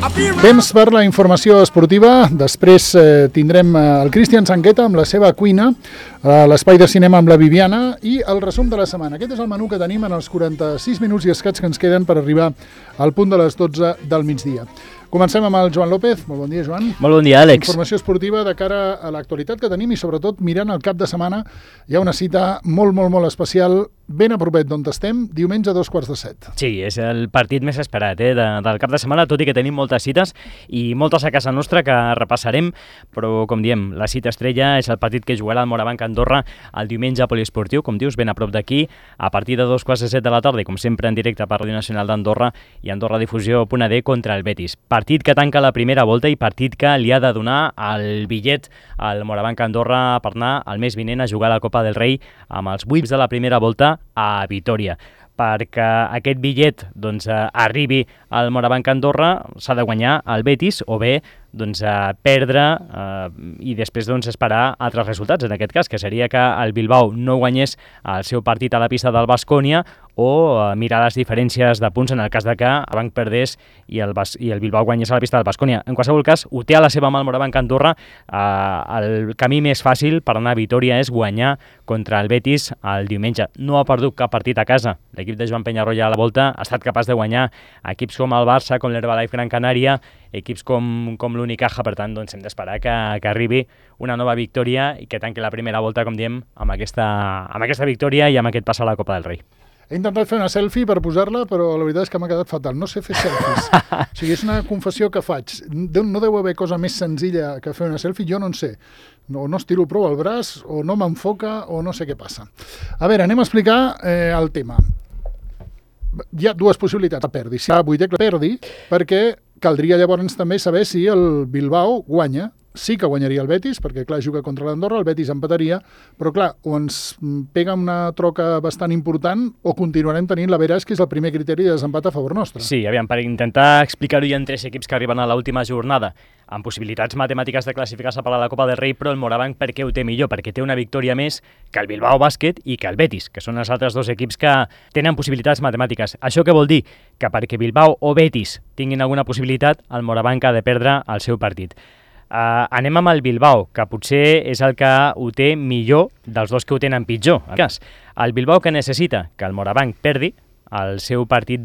Temps per la informació esportiva. Després tindrem el Cristian Sanqueta amb la seva cuina, l'espai de cinema amb la Viviana i el resum de la setmana. Aquest és el menú que tenim en els 46 minuts i escaig que ens queden per arribar al punt de les 12 del migdia. Comencem amb el Joan López. Molt bon dia, Joan. Molt bon dia, Àlex. Informació esportiva de cara a l'actualitat que tenim i sobretot mirant el cap de setmana. Hi ha una cita molt especial ben a propet d'on estem, diumenge a 7:15. Sí, és el partit més esperat del cap de setmana, tot i que tenim moltes cites i moltes a casa nostra que repassarem, però com diem, la cita estrella és el partit que jugarà el Morabanc Andorra el diumenge a Poliesportiu, com dius, ben a prop d'aquí, a partir de 2:15 de la tarda, i com sempre en directe per Ràdio Nacional d'Andorra i Andorra Difusió.d contra el Betis. Partit que tanca la primera volta i partit que li ha de donar el bitllet al Morabanc Andorra per anar el mes vinent a jugar a la Copa del Rei amb els 8 de la primera volta a Vitòria. Perquè aquest bitllet arribi al Morabanc Andorra s'ha de guanyar el Betis o bé perdre i després esperar altres resultats, en aquest cas, que seria que el Bilbao no guanyés el seu partit a la pista del Baskonia o mirar les diferències de punts en el cas de que el Banc perdés i el Bilbao guanyés a la pista del Baskonia. En qualsevol cas, ho té a la seva mà el Morabanc Andorra. El camí més fàcil per anar a Vitòria és guanyar contra el Betis el diumenge. No ha perdut cap partit a casa. L'equip de Joan Penyarroia a la volta ha estat capaç de guanyar equips com el Barça, com l'Herbalife Gran Canària, equips com l'Unicaja. Per tant, hem d'esperar que arribi una nova victòria i que tanqui la primera volta, com diem, amb aquesta victòria i amb aquest pas a la Copa del Rei. He intentat fer una selfie per posar-la, però la veritat és que m'ha quedat fatal. No sé fer selfies. O sigui, és una confessió que faig. No deu haver cosa més senzilla que fer una selfie, jo no en sé. No estiro prou el braç, o no m'enfoca, o no sé què passa. A veure, anem a explicar el tema. Hi ha dues possibilitats que perdi. Si la vuitè que perdi, perquè caldria llavors també saber si el Bilbao guanya. Sí que guanyaria el Betis, perquè clar, juga contra l'Andorra, el Betis empataria, però clar, o ens pega una troca bastant important o continuarem tenint la Veràs, que és el primer criteri de desempat a favor nostre. Sí, aviam, per intentar explicar-ho, hi ha 3 equips que arriben a l'última jornada amb possibilitats matemàtiques de classificar-se per a la Copa del Rei, però el Morabanc per què ho té millor? Perquè té una victòria més que el Bilbao Bàsquet i que el Betis, que són els altres 2 equips que tenen possibilitats matemàtiques. Això què vol dir? Que perquè Bilbao o Betis tinguin alguna possibilitat, el Morabanc ha de perdre el seu partit. Anem amb el Bilbao, que potser és el que ho té millor dels 2 que ho tenen pitjor. El Bilbao que necessita que el Morabanc perdi el seu partit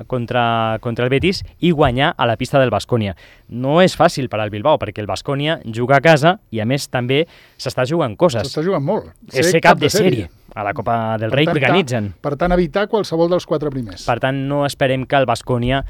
contra el Betis i guanyar a la pista del Baskonia. No és fàcil per al Bilbao, perquè el Baskonia juga a casa i a més també s'està jugant coses. S'està jugant molt. És ser cap de sèrie a la Copa del Rei que organitzen. Per tant, evitar qualsevol dels 4 primers. Per tant, no esperem que el Baskonia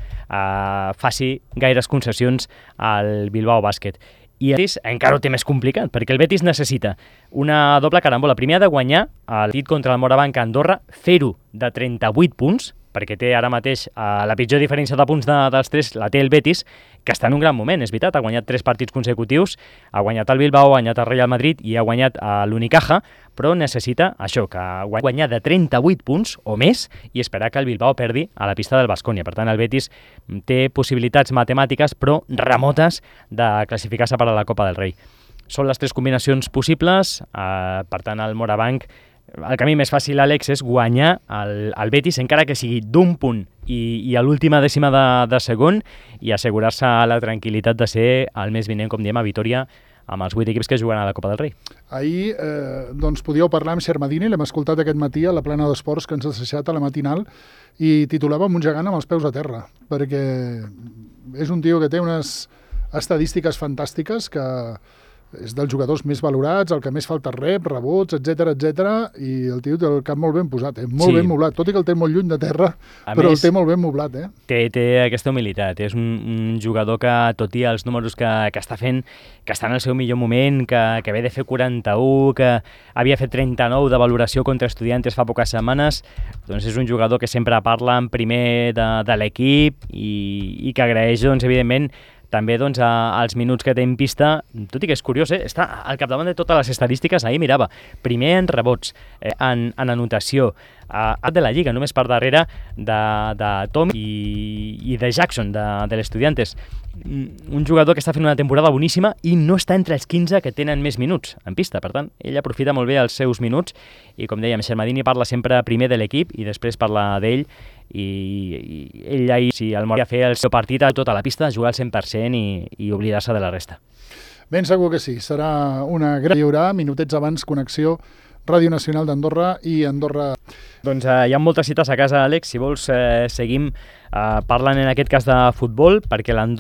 faci gaires concessions al Bilbao Bàsquet. I el Betis encara ho té més complicat, perquè el Betis necessita una doble carambola. Primer ha de guanyar el partit contra el Morabanc a Andorra, fer-ho de 38 punts, perquè té ara mateix la pitjor diferència de punts dels 3, la té el Betis, que està en un gran moment, és veritat, ha guanyat 3 partits consecutius, ha guanyat el Bilbao, ha guanyat el Real Madrid i ha guanyat l'Unicaja, però necessita això, que guanyar de 38 punts o més i esperar que el Bilbao perdi a la pista del Baskonia. Per tant, el Betis té possibilitats matemàtiques, però remotes, de classificar-se per a la Copa del Rei. Són les 3 combinacions possibles, per tant, el Morabanc, el camí més fàcil, Àlex, és guanyar el Betis, encara que sigui d'un punt i a l'última dècima de segon, i assegurar-se la tranquil·litat de ser el mes vinent, com diem, a Vitòria, amb els 8 equips que juguen a la Copa del Rei. Ahir podíeu parlar amb Xermadini, l'hem escoltat aquest matí a la plana d'esports que ens ha deixat a la matinal, i titulava un gegant amb els peus a terra, perquè és un tio que té unes estadístiques fantàstiques, que és dels jugadors més valorats, el que més falta rebots, etc, i el tio té el cap molt ben posat, molt ben moblat, tot i que el té molt lluny de terra, però el té molt ben moblat. Té aquesta humilitat, és un jugador que, tot i els números que està fent, que està en el seu millor moment, que ve de fer 41, que havia fet 39 de valoració contra Estudiantes fa poques setmanes, doncs és un jugador que sempre parla en primer de l'equip i que agraeix, evidentment, també els minuts que té en pista, tot i que és curiós, està al capdavant de totes les estadístiques. Ahir mirava, primer en rebots, en anotació, de la Lliga, només per darrere de Tom i de Jackson, de l'Estudiantes. Un jugador que està fent una temporada boníssima i no està entre els 15 que tenen més minuts en pista. Per tant, ell aprofita molt bé els seus minuts i, com dèiem, Xermadini parla sempre primer de l'equip i després parla d'ell i ell ahir, si el Mora fer el seu partit a tota la pista, jugar al 100% i oblidar-se de la resta. Ben segur que sí, serà una gran... Hi haurà minutets abans connexió Ràdio Nacional d'Andorra i Andorra. Doncs hi ha moltes cites a casa, Àlex. Si vols, seguim parlant en aquest cas de futbol, perquè el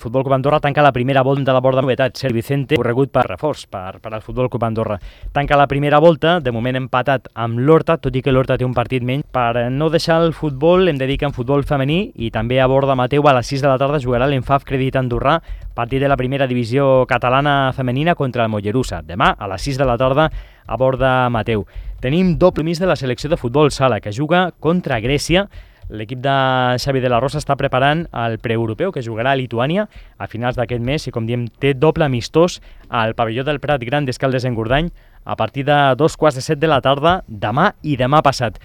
Futbol Club Andorra tanca la primera volta de la borda de novetats. Sergi Vicente, corregut per reforç per al Futbol Club Andorra. Tanca la primera volta, de moment empatat amb l'Horta, tot i que l'Horta té un partit menys. Per no deixar el futbol, hem de dir que en futbol femení i també a Borda Mateu a les 6 de la tarda jugarà l'Enfaf Crèdit Andorrà, partit de la primera divisió catalana femenina contra el Mollerussa. Demà a les 6 de la tarda a Borda Mateu. Tenim doble mig de la selecció de futbol sala, que juga contra Grècia. L'equip de Xavi de la Rosa està preparant el preeuropeu, que jugarà a Lituània a finals d'aquest mes i, com diem, té doble amistós al pavelló del Prat Gran d'Escaldes-Engordany a partir de 2:15 de la tarda demà i demà passat.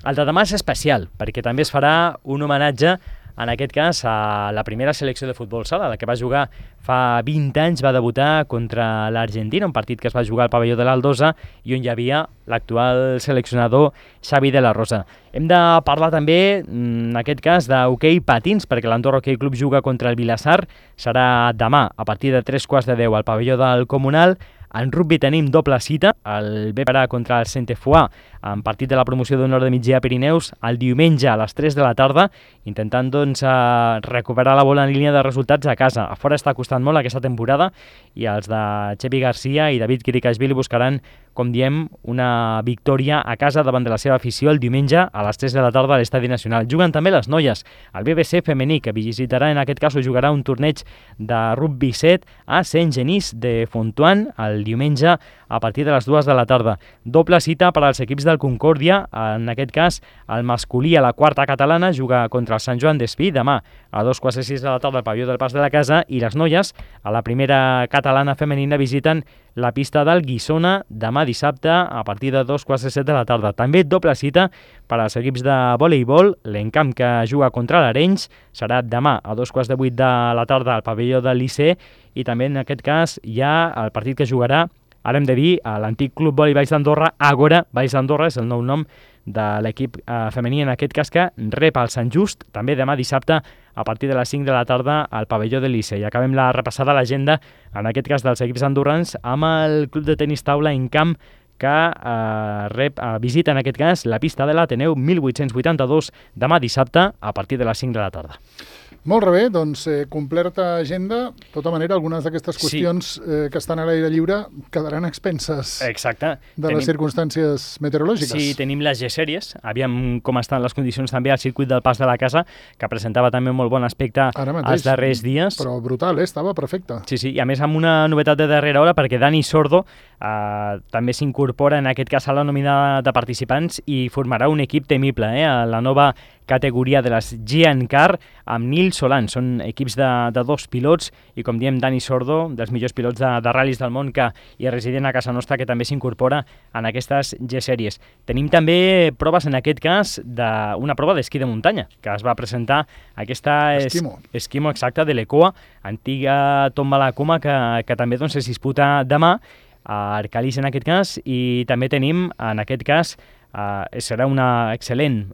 El de demà és especial, perquè també es farà un homenatge, en aquest cas, a la primera selecció de futbol sala, la que va jugar fa 20 anys, va debutar contra l'Argentina, un partit que es va jugar al pavelló de l'Aldosa i on hi havia l'actual seleccionador Xavi de la Rosa. Hem de parlar també, en aquest cas, d'hoquei patins, perquè l'Andorra Hoquei Club juga contra el Vilassar. Serà demà, a partir de 3:15 al pavelló del Comunal. En rugby tenim doble cita, el Beparà contra el Centefoix, en partit de la promoció d'honor de migdia Pirineus, el diumenge a les 3 de la tarda, intentant doncs recuperar la bona línia de resultats a casa. A fora està costant molt aquesta temporada i els de Xevi Garcia i David Kirikashvili buscaran, com diem, una victòria a casa davant de la seva afició el diumenge a les 3 de la tarda a l'Estadi Nacional. Juguen també les noies, el BBC femení, que visitarà, en aquest cas, jugarà un torneig de rugby 7 a Saint-Genís de Fontuan el diumenge a partir de les 2 de la tarda. Doble cita per als equips del Concòrdia, en aquest cas el masculí a la quarta catalana juga contra el Sant Joan d'Espí demà a 2:06 de la tarda al pavelló del Pas de la Casa, i les noies a la primera catalana femenina visiten la pista del Guissona demà dissabte a partir de 2:07 de la tarda. També doble cita per als equips de voleibol, l'Encamp, que juga contra l'Arenys, serà demà a 2:08 de la tarda al pavelló del Liceu, i també en aquest cas hi ha el partit que jugarà, ara hem de dir, a l'antic Club Vòlei Valls d'Andorra, Àgora Valls d'Andorra, és el nou nom de l'equip femení, en aquest cas, que rep el Sant Just, també demà dissabte a partir de les 5 de la tarda al pavelló del Liceu. I acabem la repassada a l'agenda, en aquest cas dels equips andorrans, amb el club de tenis taula Encamp, que visita, en aquest cas, la pista de l'Ateneu 1882 demà dissabte a partir de les 5 de la tarda. Molt bé, doncs completa agenda. De tota manera, algunes d'aquestes qüestions que estan a l'aire lliure quedaran a expenses. Exacte. De les circumstàncies meteorològiques. Sí, tenim les G-sèries, aviam com estan les condicions també al circuit del Pas de la Casa, que presentava també molt bon aspecte els darrers dies. Però brutal, estava perfecte. Sí, i a més amb una novetat de darrera hora, perquè Dani Sordo també s'incorpora en aquest cas a la nòmina de participants i formarà un equip temible, a la nova categoria de les Gian Car amb Nil Solan. Són equips de dos pilots i, com diem, Dani Sordo, dels millors pilots de ral·lis del món i resident a casa nostra, que també s'incorpora en aquestes G-sèries. Tenim també proves, en aquest cas, d'una prova d'esquí de muntanya, que es va presentar aquesta Esquimo exacta de l'Ecoa, antiga tomba a la Coma, que també doncs, es disputa demà a Arcalís, en aquest cas, i també tenim, en aquest cas, serà una excel·lent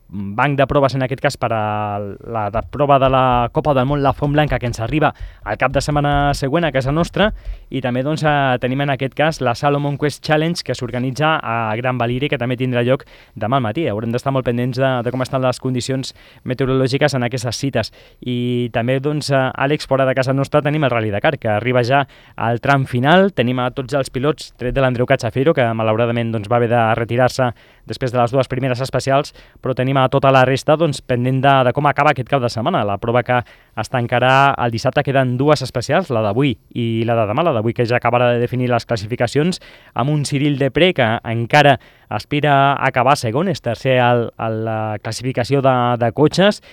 banc de proves, en aquest cas, per a la prova de la Copa del Món, la Font Blanca, que ens arriba al cap de setmana següent a casa nostra, i també doncs, tenim en aquest cas la Salomon Quest Challenge, que s'organitza a Gran Valira, que també tindrà lloc demà al matí. Haurem d'estar molt pendents de com estan les condicions meteorològiques en aquestes cites. I també, doncs, Àlex, fora de casa nostra tenim el Rally Dakar, que arriba ja al tram final. Tenim a tots els pilots, tret de l'Andreu Cachafero, que malauradament doncs, va haver de retirar-se després de les dues primeres especials, però tenim a tota la resta doncs, pendent de com acaba aquest cap de setmana. La prova que es tancarà el dissabte, queden dues especials, la d'avui i la de demà, la d'avui que ja acabarà de definir les classificacions, amb un Cyril Depré que encara aspira a acabar segon, és tercer a la classificació de cotxes.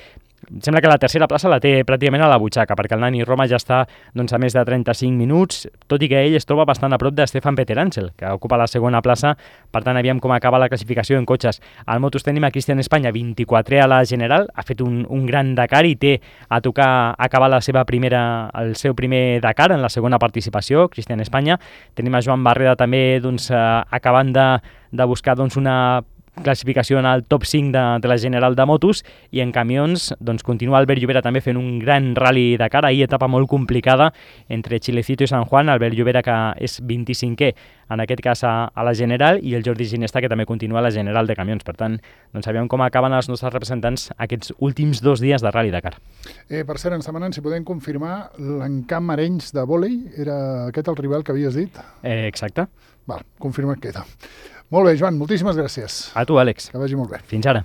Em sembla que la tercera plaça la té pràcticament a la butxaca, perquè el Nani Roma ja està doncs, a més de 35 minuts, tot i que ell es troba bastant a prop de Stefan Peter-Ansel, que ocupa la segona plaça. Per tant, aviam com acaba la classificació en cotxes. Al Motos tenim a Cristian Espanya, 24è a la general, ha fet un gran Dakar i té a tocar acabar el seu primer Dakar en la segona participació, Cristian Espanya. Tenim a Joan Barreda també doncs, acabant de buscar doncs, una classificació en el top 5 de la general de motos, i en camions doncs, continua Albert Llobera també fent un gran rally Dakar, ahir etapa molt complicada entre Chilecito i San Juan, Albert Llobera que és 25è en aquest cas a la general, i el Jordi Ginesta que també continua a la general de camions. Per tant, doncs sabem com acaben els nostres representants aquests últims 2 dies de rally Dakar. Per cert, ens demanen si podem confirmar l'Encamp Arenys de vòlei, era aquest el rival que havies dit? Exacte. Val, confirmat queda. Molt bé, Joan, moltíssimes gràcies. A tu, Àlex. Que vagi molt bé. Fins ara.